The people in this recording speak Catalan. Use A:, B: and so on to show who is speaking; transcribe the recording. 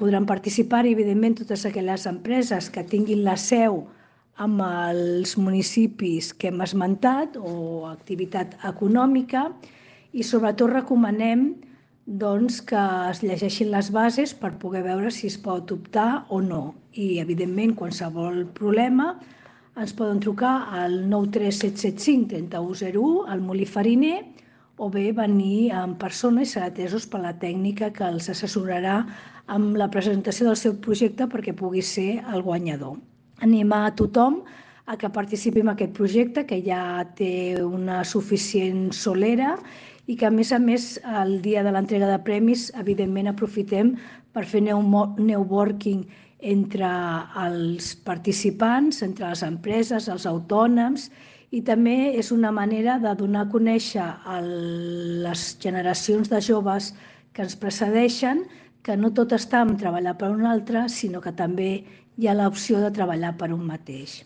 A: podran participar, evidentment, totes aquelles empreses que tinguin la seu amb els municipis que hem esmentat o activitat econòmica, i sobretot recomanem que es llegeixin les bases per poder veure si es pot optar o no. I, evidentment, qualsevol problema ens poden trucar al 93775 3101 al Molí Fariner, o bé venir en persona i ser atesos per la tècnica que els assessorarà amb la presentació del seu projecte perquè pugui ser el guanyador. Animar a tothom a que participi en aquest projecte, que ja té una suficient solera, i que, a més, el dia de l'entrega de premis, evidentment, aprofitem per fer networking entre els participants, entre les empreses, els autònoms, i també és una manera de donar a conèixer a les generacions de joves que ens precedeixen que no tot està en treballar per un altre, sinó que també hi ha l'opció de treballar per un mateix.